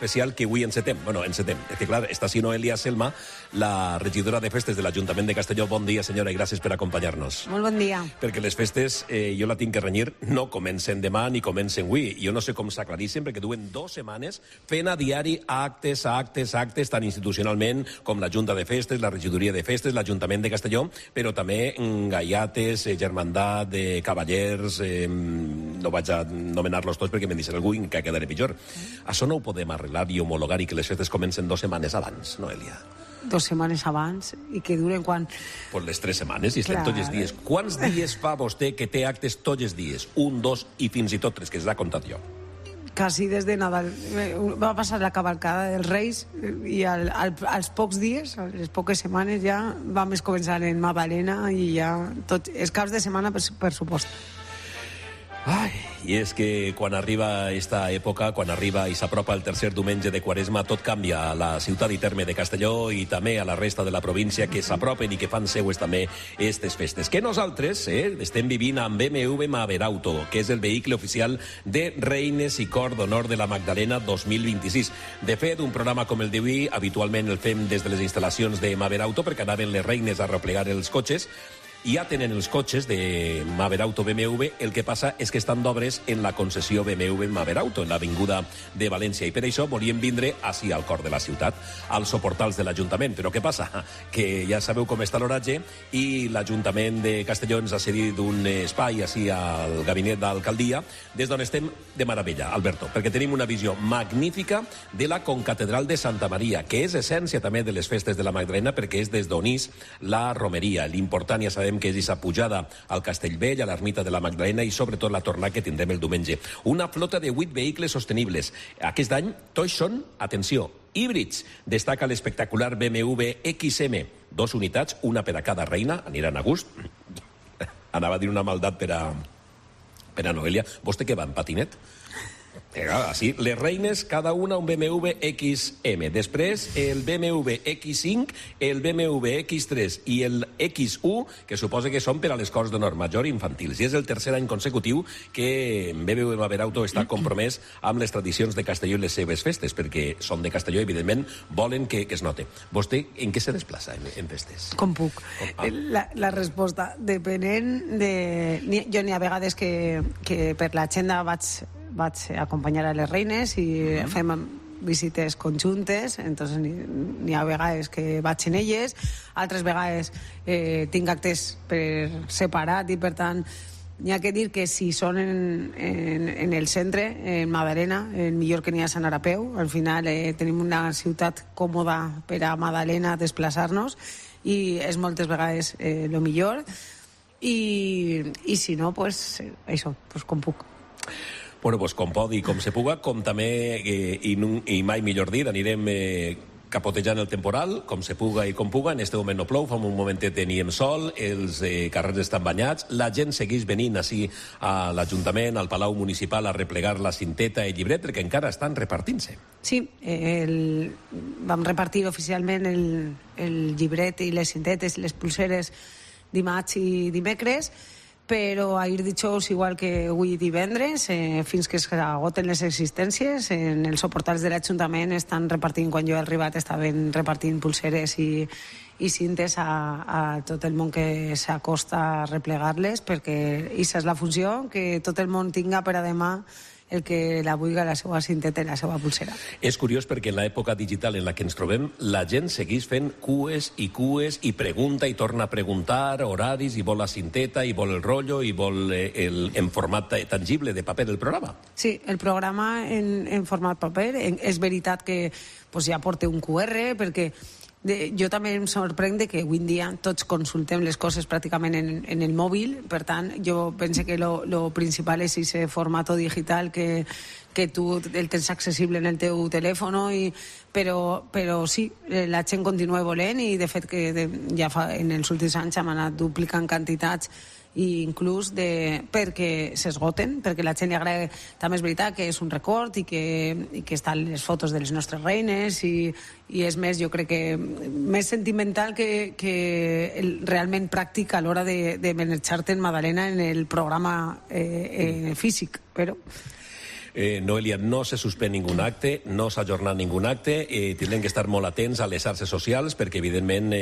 especial que avui encetem. Bueno, encetem. És que, clar, està si Noelia Selma, la regidora de festes de l'Ajuntament de Castelló. Bon dia, senyora, i gràcies per acompanyar-nos. Molt bon dia. Perquè les festes, jo la tinc que renyir, no comencen demà ni comencen avui. Jo no sé com s'aclarissin, perquè duen 2 setmanes fent a diari actes, tant institucionalment com la Junta de Festes, la regidoria de festes, l'Ajuntament de Castelló, però també gaiates, germandat, cavallers, no vaig a nomenar-los tots perquè me'n deixaré algú i que quedaré pitjor. Això no ho podem arreglar i homologar i que les festes comencen 2 setmanes abans, Noelia? 2 setmanes abans i que duren quan? Pues les 3 setmanes i estem tots els dies. Quants dies fa vostè que té actes tots els dies? 1, 2 i fins i tot 3, que s'ha contat jo. Quasi des de Nadal. Va passar la cavalcada dels Reis i als pocs dies, a les poques setmanes ja vam començar en Magdalena i ja tots els caps de setmana per supost. Ai, i és que quan arriba esta època, quan arriba i s'apropa el tercer diumenge de Quaresma, tot canvia a la ciutat i terme de Castelló i també a la resta de la província que s'apropen i que fan seues també aquestes festes. Que nosaltres estem vivint amb BMW Maberauto, que és el vehicle oficial de Reines i Cor d'Honor de la Magdalena 2026. De fet, un programa com el d'avui habitualment el fem des de les instal·lacions de Maberauto perquè anaven les reines a replegar els cotxes. Ja tenen els cotxes de Maberauto BMW, el que passa és que estan d'obres en la concessió BMW Maberauto, en l'avinguda de València, i per això volien vindre així al cor de la ciutat, als soportals de l'Ajuntament. Però què passa? Que ja sabeu com està l'oratge i l'Ajuntament de Castelló ens ha cedit un espai així al gabinet d'alcaldia, des d'on estem de meravella, Alberto, perquè tenim una visió magnífica de la concatedral de Santa Maria, que és essència també de les festes de la Magdalena, perquè és des d'on és la romeria. L'important, ja sabem, que és aquesta pujada al Castellvell, a l'ermita de la Magdalena i sobretot la tornada que tindrem el diumenge. Una flota de 8 vehicles sostenibles. Aquest any tots són, atenció, híbrids. Destaca l'espectacular BMW XM. 2 unitats, una per a cada reina, aniran a gust. Anava a dir una maldat per a Noelia. Vostè què va, en patinet? Així, les reines, cada una un BMW XM. Després, el BMW X5, el BMW X3 i el X1, que suposa que són per a les Corts d'Honor Major i infantils. I és el tercer any consecutiu que BMW Maberauto està compromès amb les tradicions de Castelló i les seves festes, perquè són de Castelló i, evidentment, volen que es note. Vostè en què se desplaça en festes? Com puc? La resposta, depenent de... Jo n'hi ha vegades que per l'agenda vaig acompanyar a les reines i fem visites conjuntes, entonces n'hi ha vegades que vaig en elles, altres vegades tinc actes per separat i per tant n'hi ha que dir que si són en el centre, en Magdalena, millor que n'hi ha Sant Arapeu. Al final tenim una ciutat còmoda per a Magdalena desplaçar-nos i és moltes vegades el millor i si no, pues això, pues com puc. Bueno, pues com pot i com se puga, com també, i mai millor dir, anirem capotejant el temporal, com se puga i com puga. En este moment no plou, fa un momentet teníem sol, els carrers estan banyats, la gent segueix venint així a l'Ajuntament, al Palau Municipal, a replegar la cinteta i llibret, perquè encara estan repartint-se. Sí, vam repartir oficialment el llibret i les cintetes i les pulseres dimarts i dimecres, però ahir dijous, igual que avui divendres, fins que s'agoten les existències, en els soportals de l'Ajuntament estan repartint, quan jo he arribat estaven repartint pulseres i cintes a tot el món que s'acosta a replegar-les, perquè aquesta és la funció, que tot el món tinga per a demà el que la vulgui, la seva cinteta i la seva pulsera. És curiós perquè en l'època digital en la que ens trobem, la gent segueix fent cues i pregunta i torna a preguntar horaris i vol la cinteta i vol el rotllo i vol en format tangible de paper el programa. Sí, el programa en format paper. És veritat que ja porta un QR perquè jo també em sorprèn que avui en dia tots consultem les coses pràcticament en el mòbil, per tant jo penso que lo principal és aquest format digital que tu el tens accessible en el teu telèfon, però sí, la gent continua volent i de fet que ja en els últims anys hem anat duplicant quantitats i inclús perquè s'esgoten, perquè la gent li agrada. També és veritat que és un record i que estan les fotos de les nostres reines i és més, jo crec que més sentimental que realment pràctic a l'hora de manejar-te en Magdalena en el programa físic, però... Noelia, no se suspèn ningú acte, no s'ha ajornat ningú acte, tindrem que estar molt atents a les xarxes socials perquè, evidentment,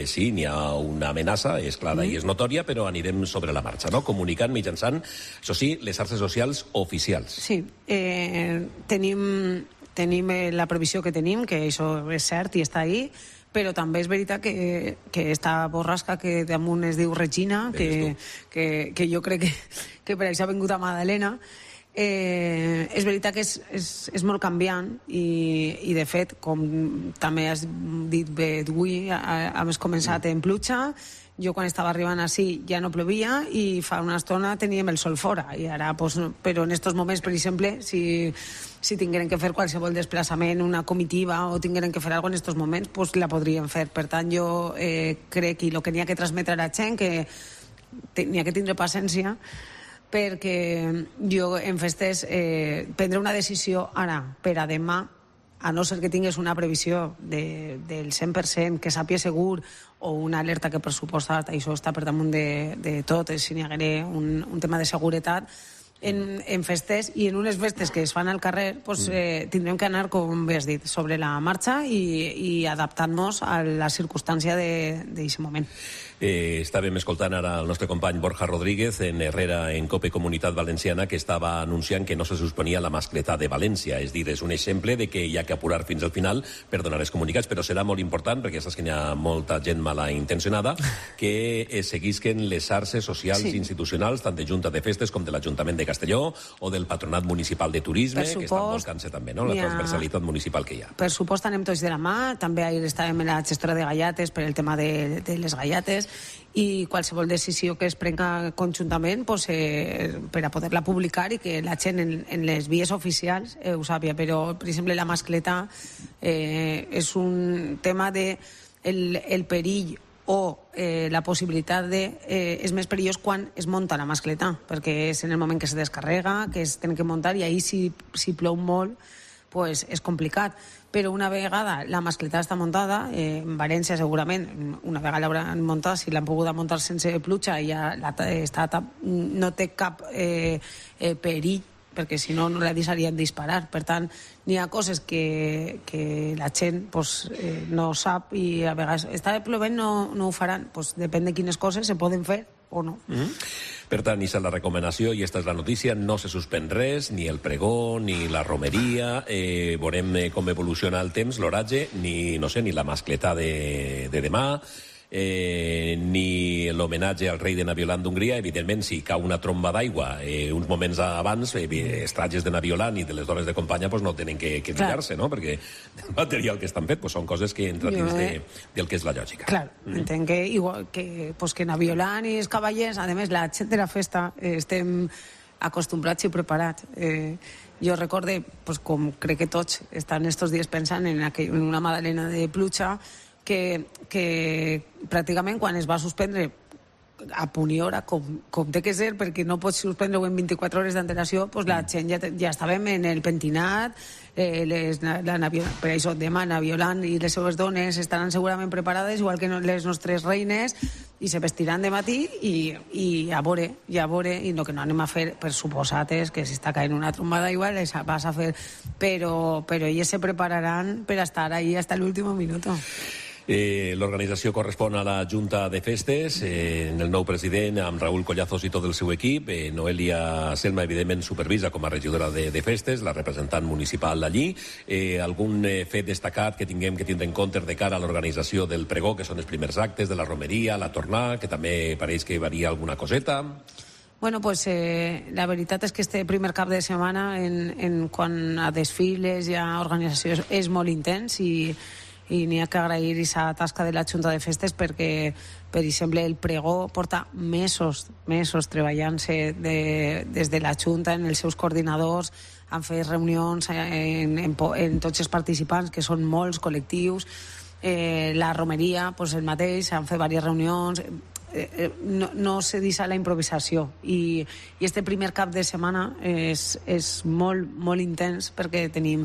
sí, n'hi ha una amenaça, és clara i és notòria, però anirem sobre la marxa, no? Comunicant mitjançant, això sí, les xarxes socials oficials. Sí, tenim la previsió que tenim, que això és cert i està ahí, però també és veritat que esta borrasca que damunt es diu Regina, que jo crec que per això ha vingut a Madalena, és veritat que és molt canviant i de fet, com també has dit bé avui, hem començat en pluja. Jo quan estava arribant així ja no plovia i fa una estona teníem el sol fora i ara, però en aquests moments, per exemple, si tingueren que fer qualsevol desplaçament, una comitiva o tingueren que fer alguna cosa en aquests moments, pues la podrien fer. Per tant, jo crec que el que n'hi ha que transmetre a la gent que n'hi ha que tindre paciència perquè jo en festes prendre una decisió ara per a demà, a no ser que tingués una previsió del 100%, que sàpia segur, o una alerta que per suposat això està per damunt de tot, si n'hi hagués un tema de seguretat, en festes i en unes festes que es fan al carrer, pues, tindrem que anar, com bé has dit, sobre la marxa i adaptant-nos a la circumstància d'aquest moment. Estàvem escoltant ara el nostre company Borja Rodríguez en Herrera en COPE Comunitat Valenciana, que estava anunciant que no se suspenia la mascletà de València. És dir, és un exemple de que hi ha que apurar fins al final per donar els comunicats, però serà molt important, perquè saps que hi ha molta gent mala intencionada, que seguisquen les xarxes socials institucionals, tant de Junta de Festes com de l'Ajuntament de Castelló o del Patronat Municipal de Turisme, que estan volcant-se també, no?, la transversalitat municipal que hi ha. Per supost, anem tots de la mà. També ahir estàvem en la gestora de gallates per el tema de les gallates, i qualsevol decisió que es prenga conjuntament per a poder-la publicar i que la gent en les vies oficials ho sàpia. Però, per exemple, la mascletà és un tema de el perill o la possibilitat és més perillós quan es munta la mascletà, perquè és en el moment que se descarrega, que es tenen que muntar, i ahir si plou molt pues és complicat. Però una vegada la mascletà està muntada, en València segurament, una vegada l'hauran muntat, si l'han pogut muntar sense pluja, ja no té cap perill, perquè si no la deixarien disparar. Per tant, n'hi ha coses que la gent no sap i a vegades està plovent, no ho faran. Depèn de quines coses se poden fer o no. Per tant, aquesta és la recomanació i aquesta és la notícia. No se suspèn res, ni el pregó, ni la romeria. Veurem com evoluciona el temps, l'oratge, ni la mascletà de demà, ni l'homenatge al rei de Naviolant d'Hongria. Evidentment, si cau una tromba d'aigua uns moments abans, els trajes de Naviolant i de les dones de companya no tenen que mirar-se, no?, perquè el material que estan fet són coses que entren dins del que és la lògica. Clar, entenc que igual que Naviolant i els cavallers, a més, la gent de la festa estem acostumbrats i preparats. Jo recorde, com crec que tots estan estos dies pensant en una magdalena de pluja, que pràcticament quan es va suspendre a punt i hora, com té que ser, perquè no pots suspendre-ho en 24 hores d'antelació, la gent ja estàvem en el pentinat, per això demà Naviolant i les seves dones estaran segurament preparades, igual que les nostres reines, i se vestiran de matí i a veure, i no que no anem a fer, per suposat que si està caient una tromba d'aigua les vas a fer, però elles se prepararan per estar ahí hasta l'últim minut. L'organització correspon a la Junta de Festes, en el nou president, amb Raúl Collazos i tot el seu equip. Noelia Selma, evidentment, supervisa com a regidora de Festes, la representant municipal allí. Algun fet destacat que tinguem que tindre en compte de cara a l'organització del pregó, que són els primers actes, de la romeria, la tornada, que també pareix que varia alguna coseta? Bueno, la veritat és que este primer cap de setmana, en quant a desfiles i a organització, és molt intens i n'hi ha que agrair aquesta tasca de la Junta de Festes perquè, per exemple, el pregó porta mesos treballant-se des de la Junta, en els seus coordinadors, han fet reunions en tots els participants, que són molts col·lectius, la romeria, el mateix, han fet diverses reunions, no se deixa la improvisació, i este primer cap de setmana és molt intens, perquè tenim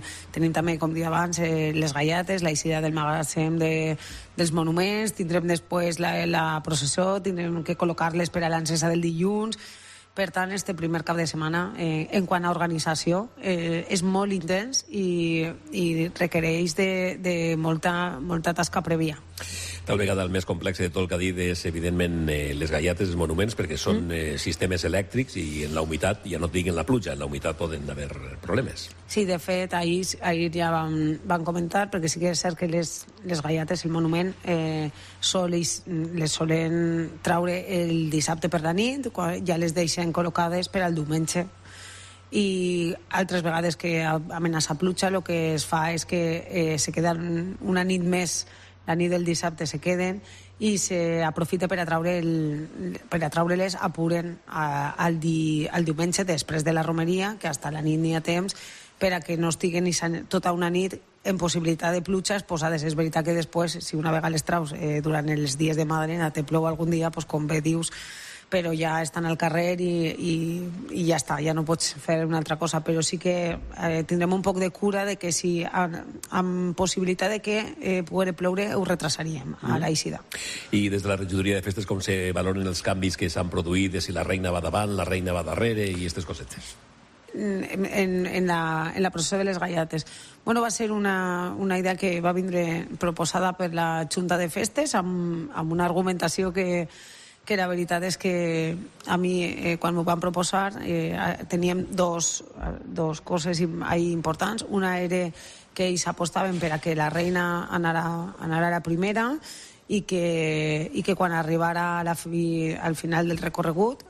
també, com dia abans, les gallates, la eixida del magatzem dels monuments, tindrem després la processó, tindrem que col·locar-les per a l'encesa del dilluns, Per tant, este primer cap de setmana, en quant a organització, és molt intens i requereix de molta tasca prèvia. Tal vegada el més complex de tot el que ha dit és, evidentment, les galletes, els monuments, perquè són sistemes elèctrics i en la humitat, ja no et dic en la pluja, en la humitat poden haver problemes. Sí, de fet, ahir ja van comentar, perquè sí que és cert que les galletes, el monument, les solen traure el dissabte per la nit, ja les deixen col·locades per al diumenge. I altres vegades que amenaça pluja, el que es fa és que se queden una nit més, la nit del dissabte se queden i s'aprofita per a treure-les, apuren al diumenge després de la romeria, que fins la nit n'hi ha temps, per a que no estiguen tota una nit en possibilitat de pluja exposades. És veritat que després, si una vegada les traus durant els dies de Madalena te plou algun dia, com bé dius, però ja estan al carrer i ja està, ja no pots fer una altra cosa, però sí que tindrem un poc de cura de que si amb possibilitat de que pugui ploure ho retrasaríem a l'eixida. I des de la regidoria de festes com se valoren els canvis que s'han produït, de si la reina va davant, la reina va darrere i aquestes cosetes? En la processió de les galletes. Bueno, va ser una idea que va vindre proposada per la Junta de Festes amb una argumentació que la veritat és que a mi, quan m'ho van proposar, teníem dos coses importants. Una era que ells apostaven per a que la reina anara a la primera i que quan arribara al final del recorregut,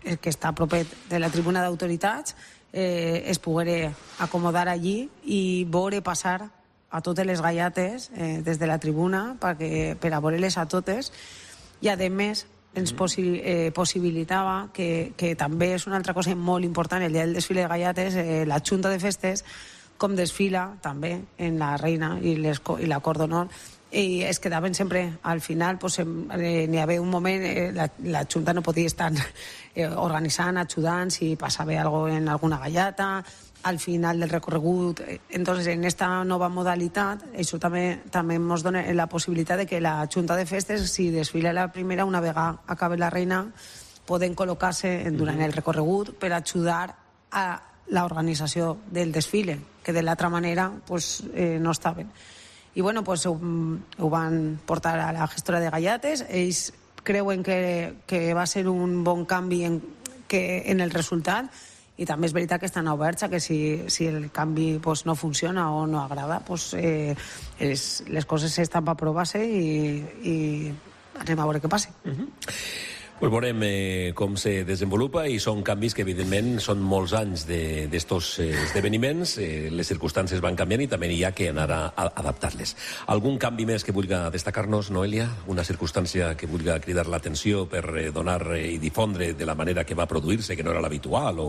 que està a propet de la tribuna d'autoritats, es poguera acomodar allí i veure passar a totes les galletes des de la tribuna per a veure-les a totes. I, a més, ens possibilitava que també és una altra cosa molt important, el dia del desfile de galletes, la Junta de Festes, com desfila també en la reina i la cort d'honor, i es quedaven sempre al final, n'hi havia un moment, la Junta no podia estar organitzant, ajudant si passava alguna cosa en alguna galleta, al final del recorregut. Entonces, en esta nova modalitat, això també ens dona la possibilitat de que la Junta de Festes, si desfila la primera, una vegada acabe la reina, poden col·locar-se durant el recorregut per ajudar a l'organització del desfile, que de l'altra manera no estaven. I bueno, ho van portar a la gestora de galletes. Ells creuen que va ser un bon canvi en el resultat, i també és veritat que estan oberts a que si el canvi no funciona o no agrada, les coses estan per provar-se i anem a veure què passa. Veurem com se desenvolupa, i són canvis que evidentment són molts anys d'estos esdeveniments, les circumstàncies van canviant i també hi ha que anar a adaptar-les. Algun canvi més que vulgui destacar-nos, Noelia? Una circumstància que vulgui cridar l'atenció per donar i difondre de la manera que va produir-se, que no era l'habitual?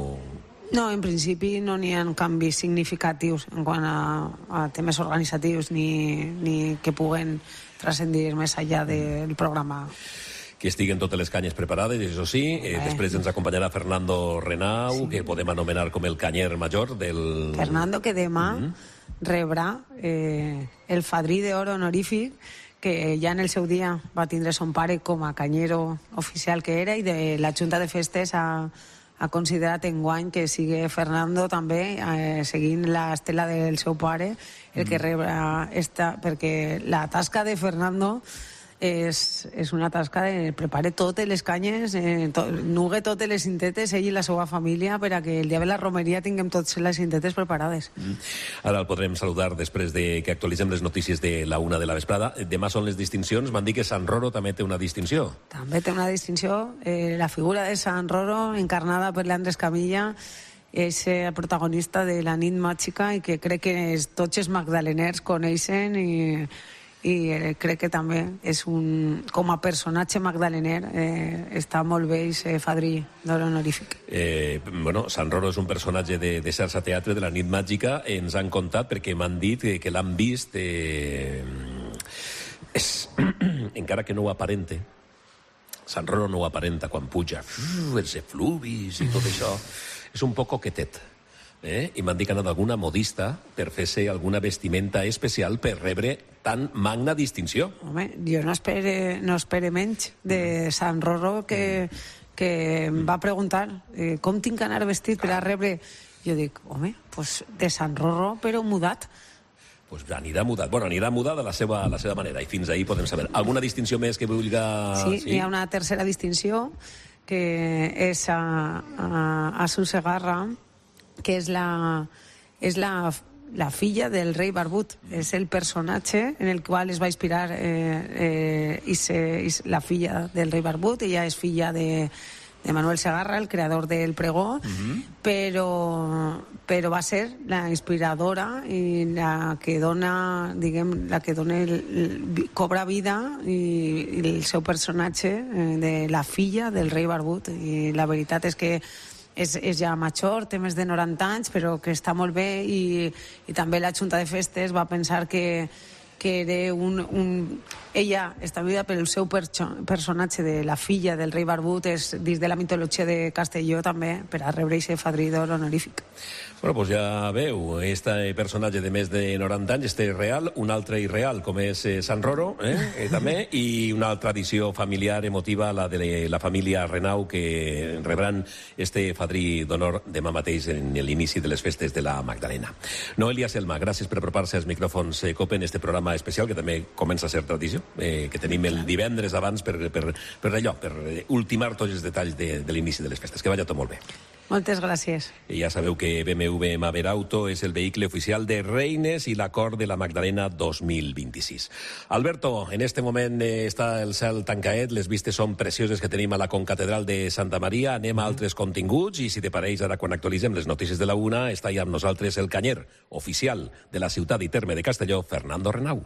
No, en principi no n'hi ha canvis significatius en quant a temes organitzatius ni que puguen transcendir més enllà del programa. Que estiguen totes les canyes preparades, això sí. Després ens acompanyarà Fernando Renau, que podem anomenar com el canyer major del... Fernando, que demà rebrà el fadrí d'or honorífic, que ja en el seu dia va tindre son pare com a canyero oficial que era, i de la Junta de Festes ha considerat enguany que sigui Fernando també, seguint l'estela del seu pare, el que rebrà perquè la tasca de Fernando és una tasca de preparar totes les canyes, nugue totes les cintetes, ell i la seva família, per a que el dia de la romeria tinguem totes les cintetes preparades. Ara el podrem saludar després de que actualitzem les notícies de la 1 de la vesprada. Demà són les distincions. M'han dit que Sant Roro també té una distinció. També té una distinció. La figura de Sant Roro, encarnada per l'Andrés Camilla, és el protagonista de la nit màgica i que crec que tots els magdaleners coneixen, i crec que també és com a personatge magdalener està molt bé aquest fadrí d'or honorífic. Sant Roro és un personatge de xarxa teatre de la nit màgica. Ens han contat, perquè m'han dit que l'han vist, encara que no ho aparente, Sant Roro no ho aparenta quan puja, els efluvis i tot això, és un poc coquetet. I m'han dit que ha anat alguna modista per fer-se alguna vestimenta especial per rebre tan magna distinció. Home, jo no espere menys de Sant Roro que que em va preguntar com tinc que anar vestit per a rebre. Jo dic, home, pues de Sant Rorro, però mudat. Pues anirà mudat. Bueno, anirà mudat de la seva manera, i fins ahir podem saber. Alguna distinció més que vulgui... Sí, hi ha una tercera distinció, que és a Su Segarra, que és la filla del rei Barbut. És el personatge en el qual es va inspirar la filla del rei Barbut. Ella és filla de Manuel Segarra, el creador del pregó, però va ser la inspiradora i la que dona, cobra vida i el seu personatge de la filla del rei Barbut. I la veritat és que és ja major, té més de 90 anys, però que està molt bé, i també la Junta de Festes va pensar que era ella està viva pel seu personatge de la filla del rei Barbut, és dins de la mitologia de Castelló també, per a rebre aquest fadrí d'or honorífic. Bueno, pues ja veu, este personatge de més de 90 anys, este real, un altre irreal, com és Sant Roro, també, i una tradició familiar emotiva, la de la família Renau, que rebran este fadrí d'honor demà mateix en l'inici de les festes de la Magdalena. Noelia Selma, gràcies per apropar-se als micròfons COPE en este programa especial, que també comença a ser tradició, que tenim el divendres abans per ultimar tots els detalls de l'inici de les festes. Que vagi tot molt bé. Moltes gràcies. I ja sabeu que BMW Maverauto és el vehicle oficial de Reines i l'acord de la Magdalena 2026. Alberto, en este moment està el cel tancaet, les vistes són precioses que tenim a la concatedral de Santa Maria. Anem a altres continguts i, si te pareix, ara quan actualitzem les notícies de la una, està ja amb nosaltres el canyer oficial de la ciutat i terme de Castelló, Fernando Renau.